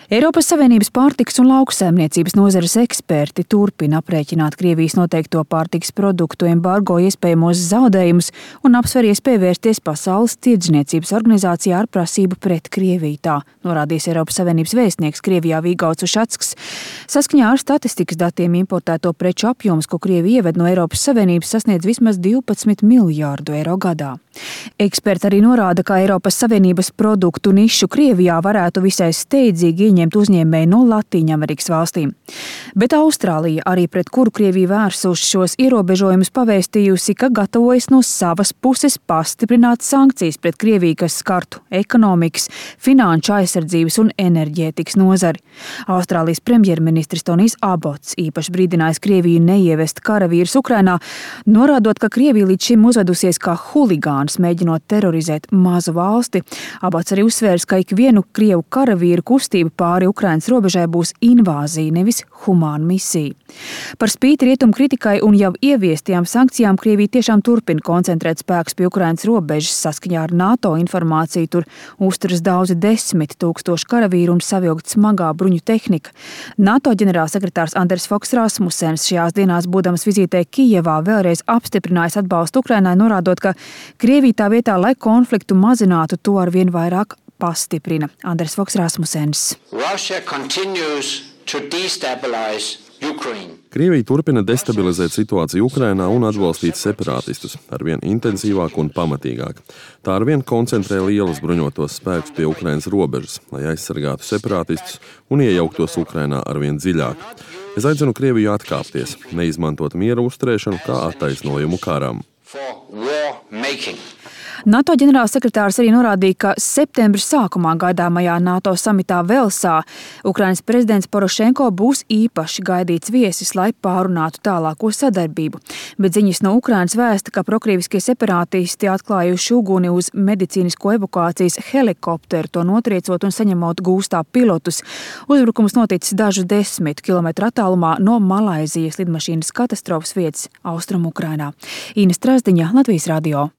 Eiropas Savienības pārtikas un lauksaimniecības nozares eksperti turpina aprēķināt Krievijas noteikto pārtikas produktu embargo iespējamos zaudējumus un apsver iespēju vērsties Pasaules tirdzniecības organizācijā ar prasību pret Krieviju. Tā norādījis Eiropas Savienības vēstnieks Krievijā Vigauds Ušacks. Saskaņā ar statistikas datiem importēto preču apjoms, ko Krievija ieved no Eiropas Savienības, sasniedz vismaz 12 miljārdu eiro gadā. Eksperti arī norāda, ka Eiropas Savienības produktu nišu Krievijā varētu visai steidzīgi ieņemt uzņēmēji no Latīņamerikas valstīm. Bet Austrālija, arī pret kuru Krievija vērsuši šos ierobežojumus, pavēstījusi, ka gatavojas no savas puses pastiprināt sankcijas pret Krieviju, kas skartu ekonomikas, finanšu aizsardzības un enerģētikas nozari. Austrālijas premjerministrs Tonijs Abots īpaši brīdinājis Krieviju neievest karavīrus Ukrainā, norādot, ka Krievija līdz šim uzvedusies kā huligāns, mēģinot terorizēt mazu valsti. Abots arī uzsvērs, ka ikvienu Krievu karavīru kustība pāri Ukrainas robežai būs invāzija, nevis humāna misija. Par spīti rietumu kritikai un jau ieviestajām sankcijām Krievija tiešām turpina koncentrēt spēkus pie Ukrainas robežas. Saskaņā ar NATO informāciju tur uzturas daudzi 10 000 karavīru un savilkt smagā bruņu tehnika. NATO ģenerālsekretārs Anders Fogh Rasmussens šajās dienās, būdams vizītē Kijevā, vēlreiz apstiprinājis atbalstu Ukrainai, norādot, ka Krievija tā vietā, lai konfliktu mazinātu, to arvien vairāk pastiprina. Anders Fogh Rasmussens. Krievija turpina destabilizēt situāciju Ukrainā un atbalstīt separātistus arvien intensīvāk un pamatīgāk. Tā arvien koncentrē lielas bruņotos spēkus pie Ukrainas robežas, lai aizsargātu separātistus un iejauktos Ukrainā arvien dziļāk. Es aicinu Krieviju atkāpties, neizmantot miera uzturēšanu kā attaisnojumu karam. NATO ģenerālsekretārs arī norādīja, ka septembra sākumā gaidāmajā NATO samitā Velsā Ukrainas prezidents Porošenko būs īpaši gaidīts viesis, lai pārunātu tālāko sadarbību. Bet ziņas no Ukrainas vēsta, ka prokrieviskie separātisti atklājuši uguni uz medicīnisko evakuācijas helikopteru, to notriecot un saņemot gūstā pilotus. Uzbrukums noticis dažu 10 kilometru attālumā no Malaizijas lidmašīnas katastrofas vietas Austrumu Ukrainā. Ina Strazdiņa, Latvijas radio.